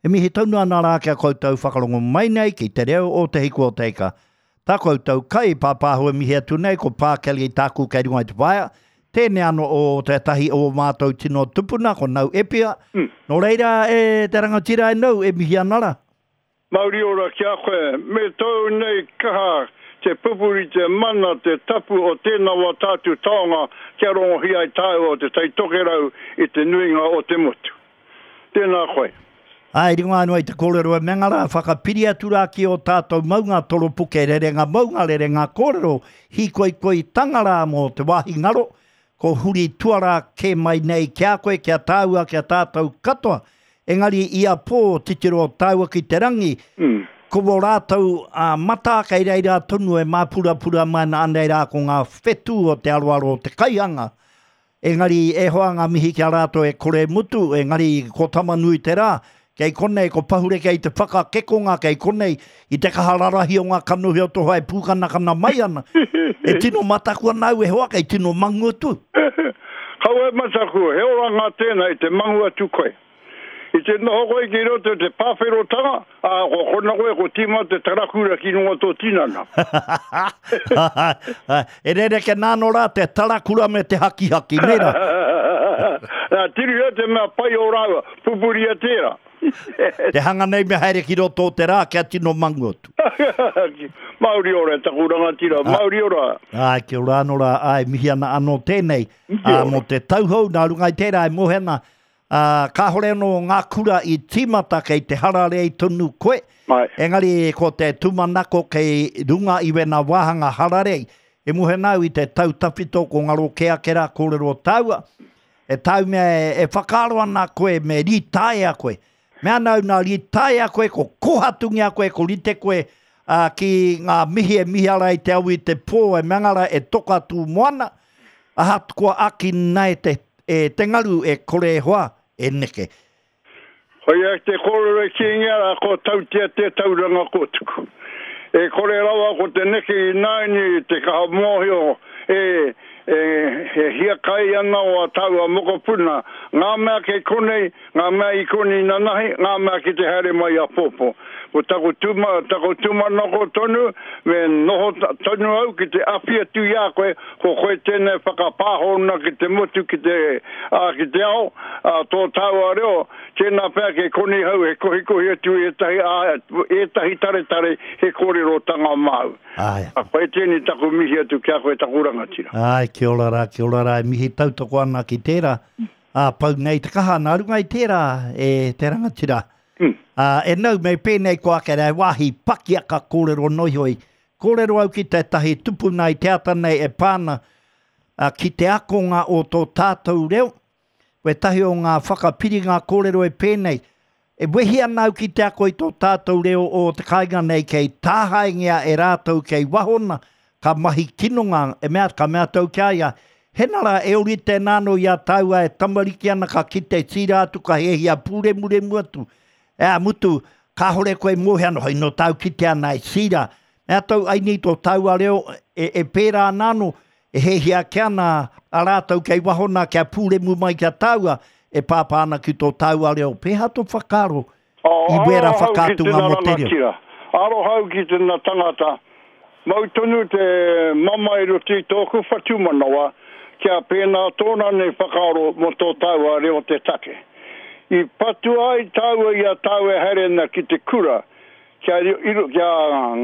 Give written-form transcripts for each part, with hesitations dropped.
E mihi tonu ana rā ki a koutou whakarongo mai nei ki te reo o Te Hiku o Te Ika. Tā koutou kai pāpāho e mihi atu nei ko Pā Kelly tāku kei runga i te waea. Tēnei ano o tētahi o ō mātou tino tupuna ko Nau Epia. Nō reira e te rangatira e Nau e mihi ana rā. Mauri ora ki a koe, me tōu nei kaha te pupuri te mana, te tapu o tēnā wā tātu taonga kia rongohia ai tāua o Te Tai Tokerau i te nuinga o te motu. Tēnā koe. Āe, runga anō i te kōrero e Menga rā, whakapiri atu rā ki ō tātou maunga toropuke, rerenga maunga, rerenga kōrero, hīkoikoitanga rā mō te wāhi ngaro, ko huri tuarā kē mai nei ki a koe, ki a tāua, ki a tātou katoa. Engari ia pō, titiro tāua ki te rangi, ko wō rātou matā kei reira tonu e māpurapura mai ana, anei rā ko ngā whetū o te aroaro o te kaihanga, Engari e hoa ngā mihi ki a rātou e kore mutu, engari ko Tamanui te rā, kei konei ko Pahure kei te whakakekonga, kei konei i te kaha rarahi o ngā kanohi o tō hoa e pūkanakana mai ana. E tino mataku ana au e hoa, kei tino mangu atu. Kaua e mataku, he oranga tēnā i te mangu atu koe. I te noho koe ki roto i te pāwherotanga, ā, ko kona koe ko tīma te tarakura ki runga o tō tinana. E rereke nā anō rā te tarakura me te hakihaki, nē rā? Nā, tirohia te mea pai o rāua, pupuria tērā. Te hanga nei me haere ki roto o te rā kia tino mangu atu. Mauri ora e taku rangatira, mauri ora. Āe, kia ora anō rā, āe, mihi ana anō tēnei, ā, mō te tauhou, nā runga i tērā e moe ana, Ā, kāhore anō ngā kura i tīmata kei te hararei tonu koe, engari ko te tūmanako kei runga i wēnā wāhanga hararei. E moe ana au i te tau tawhito ko ngaro kē ake rā kōrero tāua, e tāu mea e whakaaro ana koe me rītaea koe. Mea ana au nā rītaea koe, ko kōhatungia koe, ko rite koe ā, ki ngā mihi e mihi ara i te au i te pō e mea ana rā e toka tū moana, Ahakoa ākina e te, e te ngaru e kore e hoa, e neke. Koia te kōrero e kīngia rā, ko Tautea te tauranga kōtuku. E kore rawa ko te neke ināianei i te kaha mōhio e, e, e hiakai ana o ā tāua mokopuna, ngā mea kei konei, Ngā mea i konei nanahi, ngā mea ki te haere mai apōpō. Ko taku tuma, taku tūmanako tonu, me noho tonu au ki te awhi atu i a koe, ko koe tēnei whakapāhona ki te motu, ki te, ā, ki te ao, ā, tō tāua reo, tēnā pea kei konei hau he kohikohi atu i ētahi, ā, ētahi taretare he kōrerotanga māu. Āe. Ā, koe tēnei taku mihi atu ki a koe taku rangatira. Āe, kia ora rā, kia ora rā, e mihi tautoko ana ki tērā. Ā, pau nei te kaha nā runga i tērā e te rangatira. Ā, e nau me pēnei ko ake rā, he wāhi pakiaka kōrero noihoi. Kōrero au ki tētahi tupuna i te ata nei e pā ana ki te akonga o tō tātou reo. Wētahi o ngā whakapiringa kōrero e pēnei, E wehi ana au ki te ako i tō tātou reo o te kāinga nei kei tāhaengia e rātou kei wahona, ka mahi kinonga, e mea, ka mea atu au ki a ia, Hena rā, e orite ana anō i a tāua e tamariki ana ka kite tīra atu ka hiahia pūremuremu atu, ea, mutu, kāore koe e mōhio ana, hoi nō tāu kite ana e tīra, mea atu au, aini tō tāua reo e, e pērā ana anō, E hiahia ake ana a rātou kei waho nā kia pūremu mai ki a tāua e pāpā ana ki tō tāua reo. Pēhea tō whakaaro i wērā Aroha au ki whakaatunga tena mō te reo? rangatira, aroha au ki tena tangata, mau tonu te mamae i roto i tōku whatumanawa kia pēnā tōna nei whakaaro mō tō tāua reo te take. I patua ai tāua i a tāua e haere ana ki te kura, kia, kia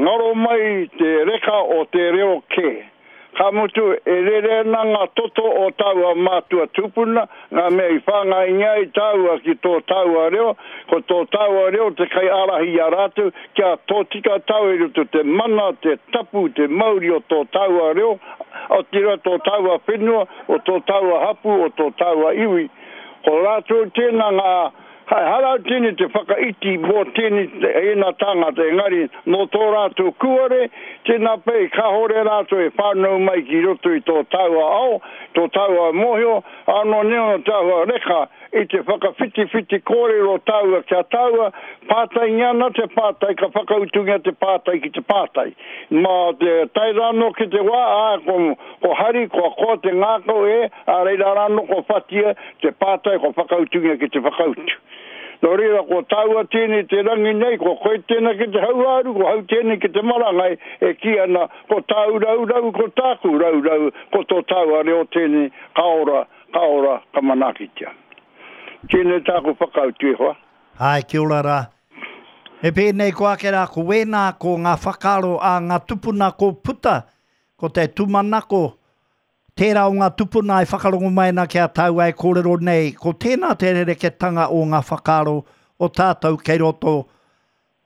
ngaro mai te reka o te reo kē. Ka mutu, e rere ana ngā toto o tāua mātua tūpuna, ngā mea i whāngaingia ai tāua ki tō tāua reo, ko tō tāua reo te kaiārahi i a rātou, kia tōtika tāua i roto te mana, te tapu, te mauri o tō tāua reo, otirā tō tāua whenua, o tō tāua hapū, o tō tāua iwi. Ko rātou tēnā ngā Ehara tēnei te whakaiti mō tēnei ēnā tāngata, engari nō tō rātou kūare, tēnā pea kāore rātou e whānau mai ki roto i tō tāua ao, tō tāua mōhio, ānō nei ono te āhua reka i te whakawhitiwhiti kōrero tāua ki a tāua, pātaingia ana te pātai ka whakautungia te pātai ki te pātai. Mā te tae rānō ki te wā, ā, ko, ko hari, kua koa te ngākau e, ā reira rānō kua whatia Te pātai kua whakautungia ki te whakautu. Nō reira, ko tāua tēnei te rangi nei, ko koe tēnā ki te hauāuru, ko hau tēnei ki te marangai, e kī ana, ko tāu raurau, ko tāku raurau, ko tō tāua reo tēnei, ka ora, ka ora, ka manaakitia. Tēnei tāku whakautu, e hoa. Āe, kia ora rā. Me pēnei ko ake rā, ko wēnā, ko ngā whakaaro a ngā tupuna ko puta, ko te tūmanako, Tērā o ngā tupuna e whakarongo mai ana ki a tāua e kōrero nei, ko tēnā te rereketanga o ngā whakaaro o tātou kei roto,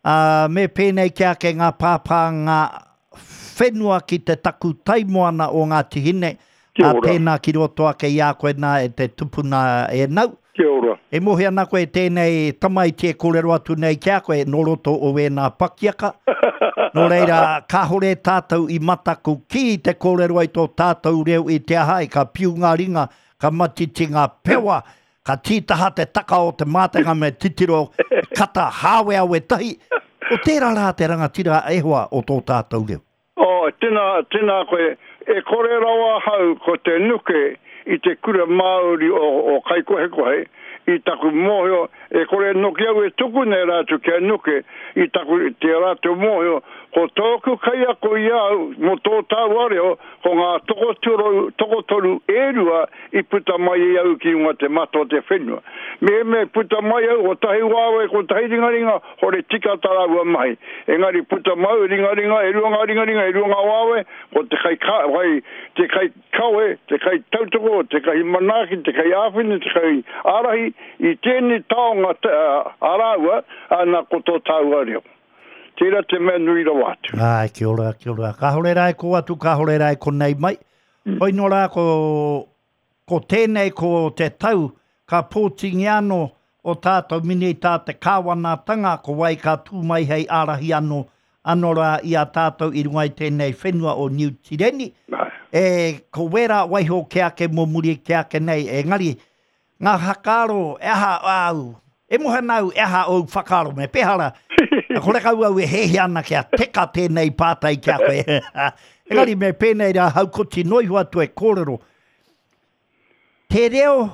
ā, me pēnei ki ake ngā pāpānga whenua ki te takutai moana o Ngāti Hine, ā, tēnā ki roto ake i a koe nā e te tupuna e nau. Kia ora. E mohi ana koe tēnei tamaiti e kōrero atu nei ki a koe nō roto o wēnā pakiaka. Nō reira, kāhore tātou i mataku ki te kōrero ai tō tātou reo i te aha ai, ka piu ngā ringa, ka matiti ngā pewa, ka tītaha te taka o te mātenga me titiro kata hāweawe tahi. Ko tērā rā te rangatira e hoa o tō tātou reo. Oh, tena, tena koe. E kore rawa ahau ko te nuke i te kura Māori o, o Kaikohekohe, i taku mōhio, e kore noki au e tukuna e rātou kia nuke, i taku, te rātou mōhio, ko tōku kaiako i a au mō tō tāua reo, ko ngā tokotoru, tokotoru e rua i puta mai i au ki runga te mata o te whenua. Mehemea i puta mai au, kotahi waewae, kotahi ringaringa, Hore tika ta raua mahi. Engari puta mau ringaringa, e rua nga ringaringa, e rua nga wawe, ko te kai ka, kai, te kai kawe, te kai tautoko, te kai manaaki, te kai āwhina, te kai ārahi i tēnei taonga a rāua, ana ko tō tāua reo. Tērā te mea nui rawa atu. Āe, kia ora, kia ora. Kāore rā e kō atu, kāore rā e konei mai. Hoi nō rā ko Ko tēnei ko te tau ka pōtingia anō o tātou Minita te Kāwanatanga ko wai ka tū mai hei ārahi anō anō rā i a tātou i runga i tēnei whenua o Niu Tireni. E, ko wērā waiho kē ake mō muri kē ake nei, engari, ngā whakaaro, e aha āu, e moe ana au, e aha ōu whakaaro, me pēhea rā, horekau au e hēhia ana kia teka tēnei pātai ki a koe. Engari me pēnei rā haukoti noa iho atu e kōrero, Te reo,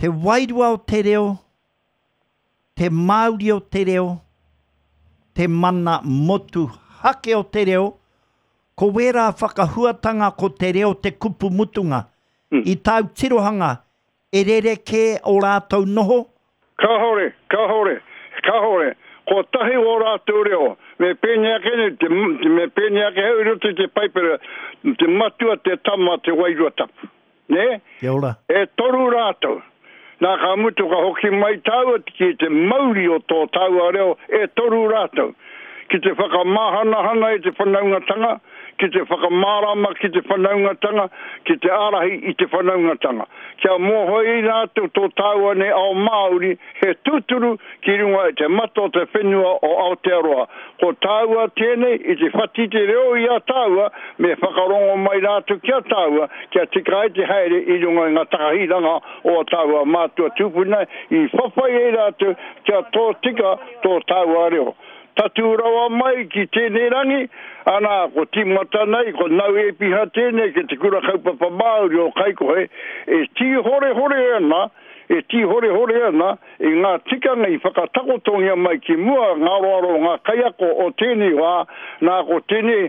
te wairua o te reo, te māuri o te reo, te mana motuhake o te reo, ko wērā whakahuatanga ko te reo te kupu mutunga. I tāu tirohanga, E rerekē ō rātou noho? Kāore, kāore, kāore. Kotahi ō rātou reo. Me pēnei ake nei, te, me pēnei ake hau i roto i te Paipera, te Matua, te Tama, te Wairua Tapu. Nē? Kia ora. E toru rātou. Nā, ka mutu ka hoki mai tāua ki te mauri o tō tāua reo, e toru rātou. Ki te whakamāhanahana i te whanaungatanga, ki te whakamārama ki te whanaungatanga, ki te ārahi i te whanaungatanga. Kia mōhio ai rātou tō tāua nei ao Māori he tūturu ki runga i te mata o te whenua o Aotearoa. Ko tāua tēnei i te whati te reo i a tāua, me whakarongo mai rātou ki a tāua kia tika ai te haere i runga i ngā takahiranga o ā tāua mātua tūpuna i whawhai ai rātou kia tōtika tō tāua reo. Tatū rawa mai ki tēnei rangi, ana, ko tīmata nei, ko Nau Ēpiha tēnei ki te Kura Kaupapa Māori o Kaikohe, e tīhorehore ana, e tīhorehore ana i ngā tikanga i whakatakotongia mai ki mua ngā aroaro o ngā kaiako o tēnei wā, nā, ko tēnei,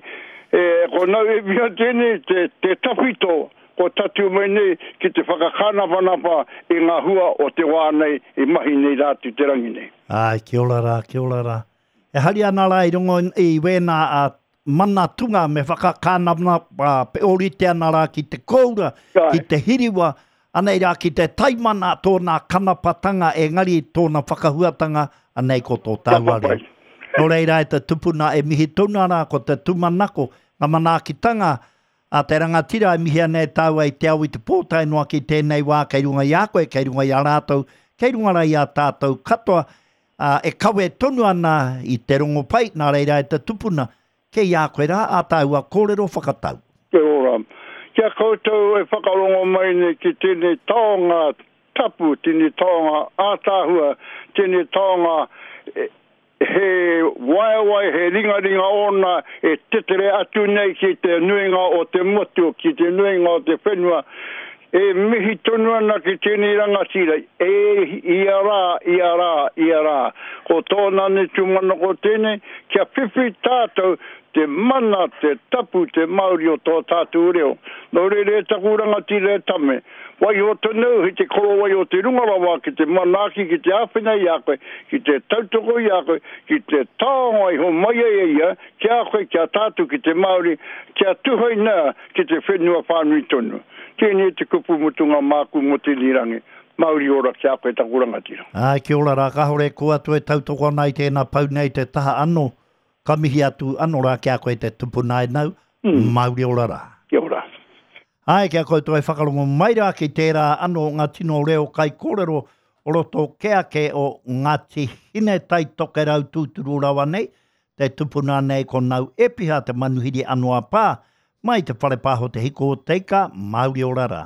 e, ko Nau Ēpiha tēnei te, te tawhito kua tatū mai nei ki te whakakānapanapa i ngā hua o te wā nei i mahi nei rātou te rangi nei. Āe, kia ora rā, kia ora rā. E hari ana rā i rongo i wēnā a mana tunga me whakakānapanapa pe ōrite ana rā ki te kōura, ki te hiriwa, anei rā ki te taimana tōna kanapatanga engari tōna whakahuatanga anei ko tō tāua reo. Nō reira e te tupuna e mihi tonu ana ko te tūmanako, ngā manaakitanga A te rangatira e mihi ana e tāua i te ao i te pō tae noa ki tēnei wā kei runga i a koe, kei runga i a rātou, kei runga rā i a tātou katoa, ā, e kawe tonu ana i te rongopai, nā reira e te tupuna, kei a koe rā ā tāua kōrero whakatau. Te ora. Ki a koutou e whakarongo mai nei ki tēnei taonga tapu, tēnei taonga ātaahua, tēnei taonga He waewae, he ringaringa ōna e tetere atu nei ki te nuinga o te motu, ki te nuinga o te whenua. E mihi tonu ana ki tēnei rangatira, e ia rā, ia rā, ia rā. Ko tōna nei tūmanako tēnei, kia whiwhi tātou te mana, te tapu, te mauri o tō tātou reo. Nō reira e taku rangatira e Tame, waiho tonu au hei te korowai o te runga rawa ki te manaaki, ki te āwhina i a koe, ki te tautoko i a koe, ki te taonga i homai ai e ia ki a koe, ki a tātou, ki te Māori, kia tuhaina ki te whenua whānui tonu. Tēnei te kupu mutunga māku mō tēnei rangi. Mauri ora ki a koe taku rangatira. Āe, kia ora rā, kāore kō atu e tautoko ana i tēnā pau nei te taha anō, ka mihi atu anō rā ki a koe te tupuna e nau, mauri ora rā. Kia ora. Āe, ki a koutou e whakarongo mai rā ki tērā anō ngā tino reo kaikōrero o roto kē ake o Ngāti Hine Tai Tokerau tūturu rawa nei, Te tupuna nei ko Nau Epiha te manuhiri ano a Pa, mai te whare paho Te Hiko o Teika, Mauri ora ra.